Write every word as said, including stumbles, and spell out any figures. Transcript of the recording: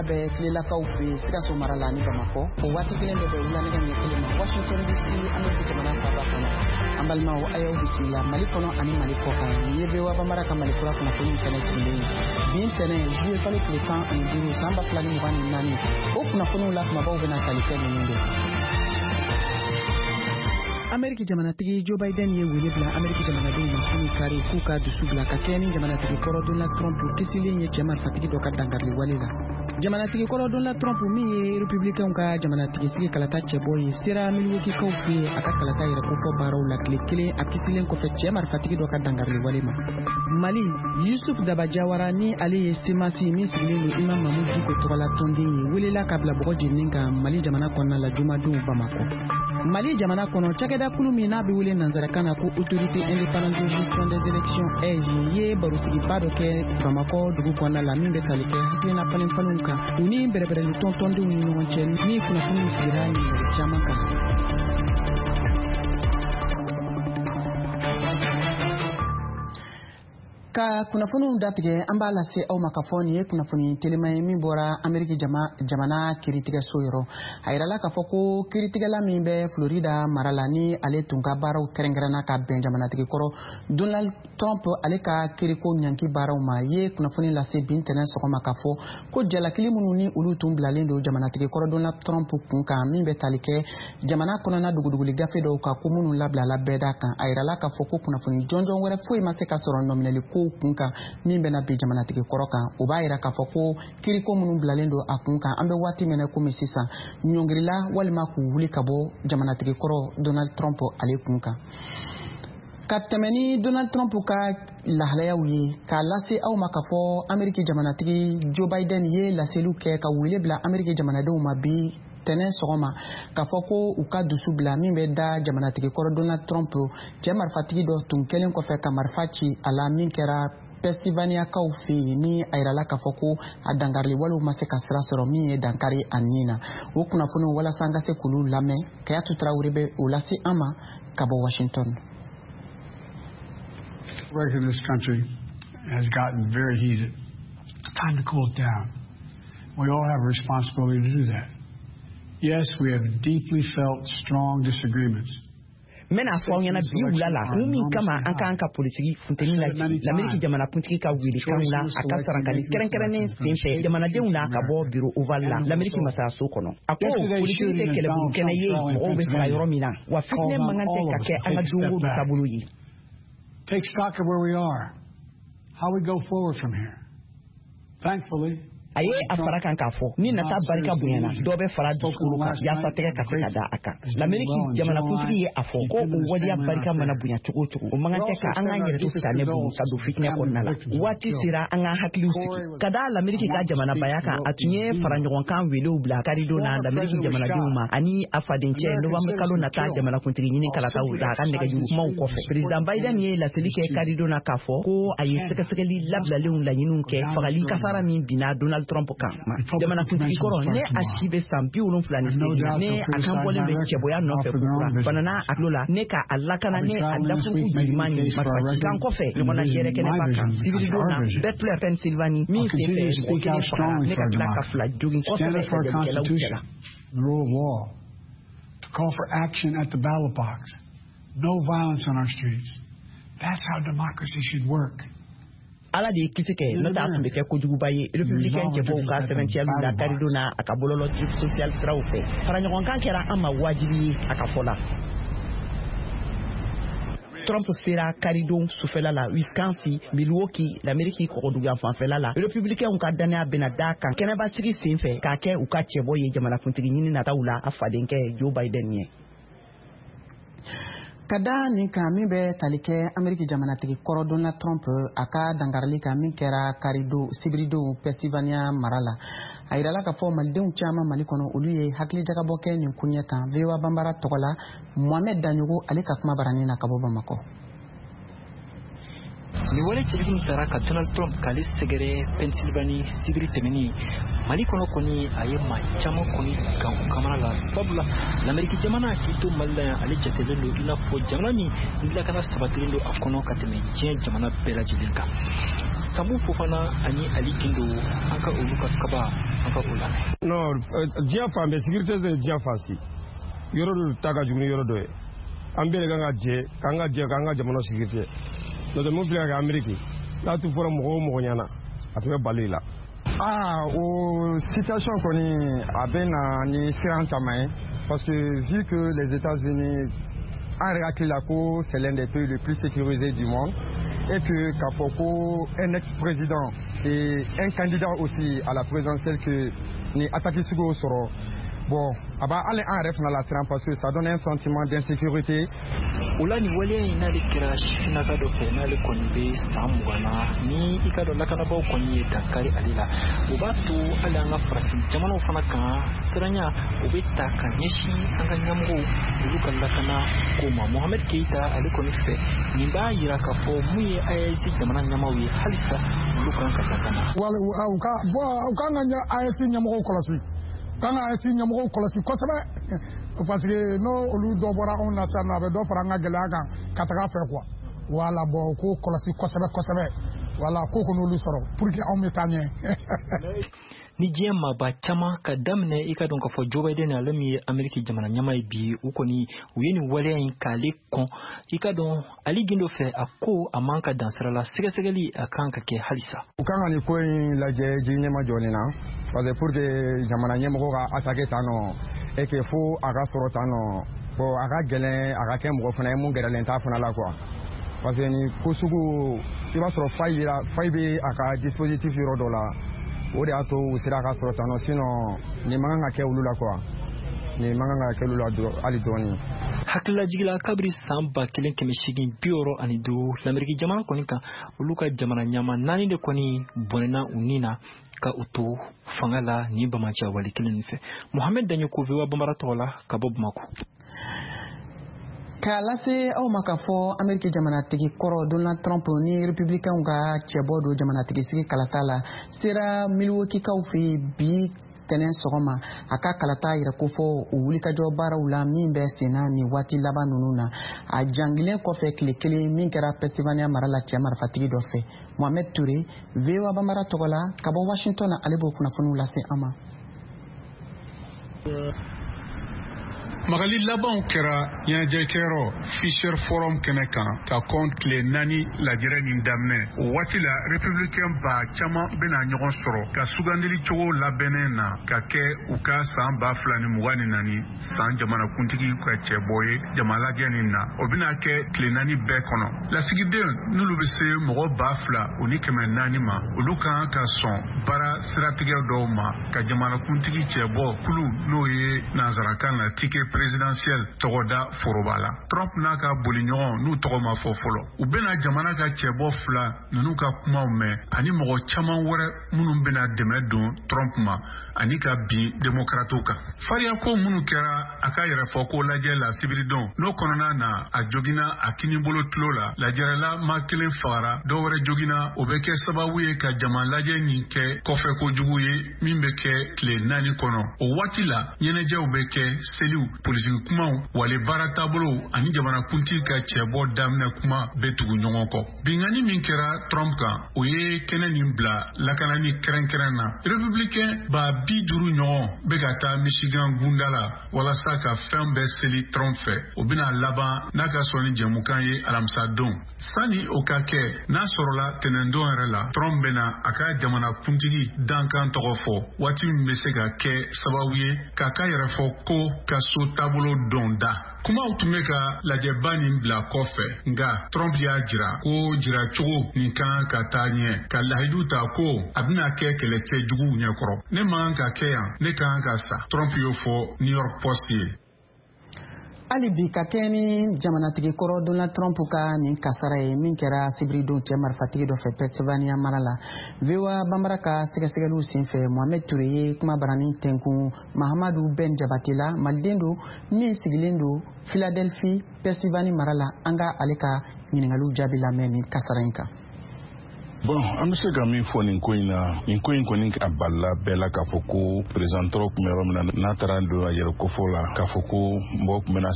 wulada bɛ tilelakaw fɛ yen Sikaso mara la ani Bamakɔ. O waati kelen bɛ bɛn wula nɛgɛ ɲɛ kelen ma Washington D C, Ameriki jamana faaba kɔnɔ. An balimaw, a y'aw bisimila Mali kɔnɔ ani Mali kɔ kan. Nin ye V O A Bambara ka Mali kura kunnafoniw kɛnɛ sigilen ye bi ntɛnɛn, juillet kalo tile tan ani duuru, san ba fila ni mugan ni naani. O kunnafoniw la kumabaw bɛna tali kɛ ninnu de: Ameriki jamanatigi Joe Biden ye wele bila Ameriki jamanadenw ma kunu kari k'u ka dusu bila ka kɛɲɛ ni jamanatigi kɔrɔ Donald Trump kisilen ye cɛ marifatigi dɔ ka dankarili wale la. Jamanatigi kɔrɔ Donald Trump, min ye Republicainw ka jamanatigi sigi kalata cɛbɔ ye, sera Milwaukee-kaw fɛ yen a ka kalata yɛrɛ kofɔ baaraw la, tile kelen a kisilen kɔfɛ cɛ marifatigi dɔ ka dankarili wale ma. Mali, Yusuf Daba Jawara, ni ale ye C M A S min sigilen don Imam Mahmoud Dicko tɔgɔla tɔnden ye, welela ka bila bɔgɔ jeninen kan Mali jamana kɔnɔna la jumadon Bamakɔ. Mali jamana kɔnɔ, cakɛdakulu min n'a bɛ wele nansarakan na ko Autorité indépendante de gestion des élections, A I G E, ye barosigiba dɔ kɛ Bamakɔ dugu kɔnɔna la min bɛ tali kɛ hakilina falenfalenw kan u ni bɛrɛbɛrɛli tɔn tɔndenw ni ɲɔgɔn cɛ, ni kunnafoniw sigira ɲininkali caman kan. Ka kunnafoniw datigɛ, an b'a lase aw ma k'a fɔ nin ye kunnafoni telima ye min bɔra Ameriki jamana kiiritigɛso yɔrɔ. A yirala k'a fɔ ko kiiritigɛla min bɛ Florida mara la, ni ale tun ka baaraw kɛrɛnkɛrɛnna ka bɛn jamanatigi kɔrɔ Donald Trump ale ka kiriko ɲanki baaraw ma, ye kunnafoni lase bi ntɛnɛn sɔgɔma k'a fɔ ko jalakili minnu ni olu tun bilalen don jamanatigi kɔrɔ Donald Trump kun kan, min bɛ tali kɛ jamana kɔnɔna duguduguli gafe dɔw kan, ko minnu labilala bɛɛda kan, a yirala k'a fɔ ko kunnafoni jɔnjɔn wɛrɛ foyi ma se ka sɔrɔ nɔminɛli ko kun kan min bɛna bin jamanatigi kɔrɔ kan. O b'a yira k'a fɔ ko kiriko minnu bilalen don a kun kan, an bɛ waati min na komi sisan, ɲɔngirila walima k'u wuli ka bɔ jamanatigi kɔrɔ Donald Trump ale kun kan. Ka tɛmɛ ni Donald Trump ka lahalayaw ye, k'a lase aw ma k'a fɔ Ameriki jamanatigi Joe Biden ye laseliw kɛ ka wele bila Ameriki jamanadenw ma bi tɛnɛn sɔgɔma k'a fɔ ko u ka dusu bila min bɛ da jamanatigi kɔrɔ Donald Trump, cɛ marifatigi dɔ tun kɛlen kɔfɛ ka marifa ci a la min kɛra Pennsylvaniakaw fɛ yen, ni a yirala k'a fɔ ko a dankarili walew ma se ka sira sɔrɔ min ye dankari a nin na. O kunnafoniw, walasa an ka se k'olu lamɛn, Kayatu Tarawele bɛ o lase an ma ka bɔ Washington. Record in this country has gotten very heated. It's time to cool it down. We all have a responsibility to do that. Yes, we have deeply felt strong disagreements. N bɛna fɔ aw ɲɛna bi wula la kun min kama an k'an ka politiki funteni lajigi. Lameriki jamanakuntigi ka welekanw la, a ka sarankali kɛrɛnkɛrɛnnen sen fɛ jamanadenw na ka bɔ Bureau Oval la, Lameriki masayaso kɔnɔ, a ko politiki tɛ kɛlɛburu kɛnɛ ye mɔgɔw bɛ faga yɔrɔ min na, wa fitinɛ man kan tɛ ka kɛ an ka don o don taabolo ye. Take stock of where we are, how we go forward from here. Thankfully, A ye a fara kan k'a fɔ ni nata barika bonyana, dɔ bɛ fara dusukolo kan yaasa tɛgɛ ka se ka da a kan. Lameriki jamanakuntigi ye a fɔ ko o waleya barika mana bonya cogo o cogo, o man kan tɛ ka an k'an yɛrɛ to sitanɛ bolo ka don fitinɛ kɔnɔna la. Waati sera an k'an hakiliw sigi ka da Lameriki ka jamanabaya kan. A tun ye faraɲɔgɔnkan welew bila karidon na Lameriki jamanadenw ma ani a fadencɛ novembre kalo nata jamanakuntigi ɲini kalataw la. A ka nɛgɛjuru kumaw kɔfɛ, président Biden ye laseli kɛ karidon na k'a fɔ ko a ye sɛgɛsɛgɛli labilalen laɲiniw kɛ fagali kasara min binna Donald Trump kan. Jamanakuntigi kɔrɔ, ne a si bɛ san bi wolonfila ni seegin na, ne a kan bɔlen bɛ cɛbɔya nɔfɛ kokura, banana a tulo la ne ka a lakana ne a dafuruku joliman ni marifacikan kɔfɛ ɲɔgɔnna jɛrɛ kɛnɛba kan sibiridon na Butler, Pennsylvanie, min sen fɛ mɔgɔ kelen fagara ne ka tila ka fila jogin kosɛbɛ lajɛlikɛlaw cɛla. The rule of law, to call for action at the ballot box, no violence on our streets. That's how democracy should work. Ala de ye kisi kɛ, n'o tɛ a tun bɛ kɛ kojuguba ye. Républicain cɛbɔw ka sɛbɛntiyaliw la karidon na a ka bɔlɔlɔ social siraw fɛ, faraɲɔgɔnkan kɛra an ma wajibi ye, a ka fɔ la. Trump sera karidon sufɛla la Wisconsin, Milwaukee, l'Amérique kɔgɔduguyan fanfɛla la. Républicainw ka dannaya bɛna da kan kɛnɛbasigi sen fɛ k'a kɛ u ka cɛbɔ ye jamanakuntigi ɲini nataw la, a fadenkɛ Joe Biden ɲɛ. Ka da nin kan min bɛ tali kɛ Ameriki jamanatigi kɔrɔ Donald Trump a ka dankarili kan min kɛra karidon sibiridon Pennsylvania mara la, a yirala k'a fɔ malidenw caman Mali kɔnɔ, olu ye hakilijagabɔ kɛ nin koɲɛ kan. V O A Banbara tɔgɔ la, Mohamed Daɲogo ale ka kuma baranin na ka bɔ Bamakɔ. Nin wale cɛjugu min taara ka Donald Trump k'ale sɛgɛrɛ Pennsylvanie sibiri tɛmɛnen Mali kɔnɔ kɔni, a ye maa caman kɔni gan u kamana la, sabula Lameriki jamana k'i to Mali la yan, ale jatelen don i n'a fɔ jamana min lakana sabatilen don a kɔnɔ ka tɛmɛ diɲɛ jamana bɛɛ lajɛlen kan. Samu Fofana ani Ali Gindo, an ka olu ka kaba, an ka o lamɛn. Non, diɲɛ fan bɛɛ sécurité tɛ, diɲɛ fan si yɔrɔ dɔ ta ka jugu ni yɔrɔ dɔ ye. An bɛɛ de kan ka jɛ k'an ka jɛ k'an ka jamana sécurité, n'o tɛ mun filɛ ka kɛ Amérique n'a tun fɔra mɔgɔ o mɔgɔ ɲɛna, a tun bɛ bali la. Ah, o situation kɔni, a bɛ na ni siran caman ye, parce que vu que les États-Unis, an yɛrɛ hakili la ko c'est l'un des pays les plus sécurisés du monde, et que k'a fɔ ko un ex-président et un candidat aussi à la présidentielle que ni attaque sugu sɔrɔ, bon, a b'a hali an yɛrɛ fana lasiran, parce que ça donne un sentiment d'insécurité. O la, nin waleya in n'ale kɛra sifinnaka dɔ fɛ, n'ale kɔni bɛ san mugan na, ni i ka dɔn lakanabaaw kɔni ye dankari ale la, o b'a to hali an ka farafin jamanaw fana kan, siranya o bɛ ta ka ɲɛsin an ka ɲɛmɔgɔw olu ka lakana ko ma. Mohamed Keita ale kɔni fɛ, nin b'a yira k'a fɔ mun ye A E S jamana ɲɛmaaw ye, halisa olu kan ka lakana. Wala u ka bon, u kan ka A E S ɲɛmɔgɔw kɔlɔsi, kan ka A E S ɲɛmɔgɔw kɔlɔsi kosɛbɛ, parce que n'o olu dɔ bɔra anw na sisan nɔ, a bɛ dɔ fara an ka gɛlɛya kan ka taga fɛ quoi. Wala, bon, u k'o kɔlɔsi kosɛbɛ kosɛbɛ, wala ko k'olu sɔrɔ pour que anw bɛ taa ɲɛ. Ni diɲɛ maaba caman ka daminɛ, i ka dɔn k'a fɔ Joe Biden, ale min ye Ameriki jamana ɲɛmaa ye bi, u kɔni u ye nin waleya in k'ale kɔn. I ka dɔn Ali Gindo fɛ, a ko a man ka dan sira la, sɛgɛsɛgɛli a kan ka kɛ halisa. U kan ka nin ko in lajɛ ji ɲɛma jɔlen na, parce que pour que jamana ɲɛmɔgɔ ka attaquer tan nɔ et que fo a ka sɔrɔ tan nɔ, bon, a ka gɛlɛn a ka kɛ mɔgɔ fana ye mun gɛrɛlen t'a fana la quoi, parce que nin ko sugu, i b'a sɔrɔ faille yira, faille bɛ a ka dispositif yɔrɔ dɔ la, o de y'a to u sera ka sɔrɔ tan nɔ. Sinon nin man kan ka kɛ olu la quoi, nin man kan ka kɛ olu la hali dɔɔni. Hakililajigila, kabiri san ba kelen kɛmɛ seegin bi wɔɔrɔ ani duuru, Lameriki jamana kɔni kan, olu ka jamana ɲama naani de kɔni bɔnɛna u ni na ka u to fanga la ni bamaciya wale kelen nin fɛ. Mohamed Daɲoko, V O A Bambara tɔgɔ la ka bɔ Bamako. K'a lase aw ma k'a fɔ Ameriki jamanatigi kɔrɔ Donald Trump ni Republicainw ka cɛbɔ don jamanatigi sigi kalata la sera Milwaukee-kaw fɛ bi tɛnɛn sɔgɔma, a ka kalata yɛrɛ kofɔ o wulikajɔ baaraw la min bɛ senna nin waati laban ninnu na, a jangilen kɔfɛ tile kelen min kɛra Pennsylvania mara la cɛ marifatigi dɔ fɛ. Mohamed Toure, V O A Bambara tɔgɔ la ka bɔ Washington na, ale b'o kunnafoniw lase an ma. Magali labanw kɛra ɲɛnajɛkɛyɔrɔ Fiserv Forum kɛnɛ kan ka kɔn tile naani lajɛrɛ nin daminɛ. O waati la, républicain ba caman bena ɲɔgɔn sɔrɔ ka sugandili cogo labɛnnen na ka kɛ u ka saan ba fila ni mugan ni naani saan jamanakuntigi ka cɛbɔ ye jamalajɛ nin na. O bena kɛ tile naani bɛɛ kɔnɔ. Lasigiden n'olu be se mɔgɔ ba fila o ni kɛmɛ naani ma, olu kan ka sɔn baara siratigɛ dɔw ma ka jamanakuntigi cɛbɔ kulu, n'o ye nansarakan na ticket présidentiel tɔgɔda foroba la. Trump n'a ka boliɲɔgɔn n'u tɔgɔ ma fɔ fɔlɔ, u bena jamana ka cɛbɔ fila ninnu ka kumaw mɛn ani mɔgɔ caman wɛrɛ minnu bena dɛmɛ don Trump ma ani ka bin demokratiw kan. Fariyako minnu kɛra a ka yɛrɛfɔ ko lajɛ la sibiridon, n'o kɔnɔna na a jogina a kinibolo tulo la, lajɛrɛla ma kelen fagara, dɔw wɛrɛ jogina, o bɛ kɛ sababu ye ka jama lajɛ nin kɛ kɔfɛ kojugu ye min bɛ kɛ tile naani kɔnɔ. O waati la, ɲɛnajɛw bɛ kɛ, seliw, politiki kumaw, wale baara taabolow ani jamanakuntigi ka cɛbɔ daminɛ kuma bɛ tugu ɲɔgɔn kɔ. Binkanni min kɛra Trump kan, o ye kɛnɛ nin bila lakanani kɛrɛnkɛrɛn na. Républicain ba bi duuru ɲɔgɔn bɛ ka taa Michigan gunda la walasa ka fɛn bɛɛ seli Trump fɛ. O bɛna laban n'a ka sɔn ni jɛmukan ye alamisa don. Sani o ka kɛ, n'a sɔrɔla tɛnɛndon yɛrɛ la, Trump bɛna a ka jamanakuntigi dankan tɔgɔ fɔ, waati min bɛ se ka kɛ sababu ye k'a ka yɛrɛfɔ ko ka so taabolo dɔn da. Kumaw tun bɛ ka lajɛba nin bila kɔfɛ, nka Trump y'a jira ko jiracogo nin kan ka taa ɲɛ, ka lahidu ta ko a bɛna kɛ kɛlɛcɛ juguw ɲɛkɔrɔ. Ne man ka kɛ yan, ne kan ka sa, Trump y'o fɔ New York Post ye. Hali bi, ka kɛ ni jamanatigi kɔrɔ Donald Trump ka nin kasara ye min kɛra sibiridon cɛ marifatigi dɔ fɛ Pennsylvania mara la, V O A Bambara ka sɛgɛsɛgɛliw senfɛ, Mohamed Toure ye kuma barani tɛnkun Mahamadu Ben Jabate la, maliden don min sigilen don Philadelphie, Pennsylvanie mara la. An ka ale ka ɲiningaliw jaabi lamɛn nin kasara in kan. Bon, an bɛ se ka min fɔ nin ko in na, nin ko in kɔni a balila bɛɛ la k'a fɔ ko président tun bɛ yɔrɔ min na, n'a taara don a yɛrɛ kofɔ la k'a fɔ ko mɔgɔ tun bɛna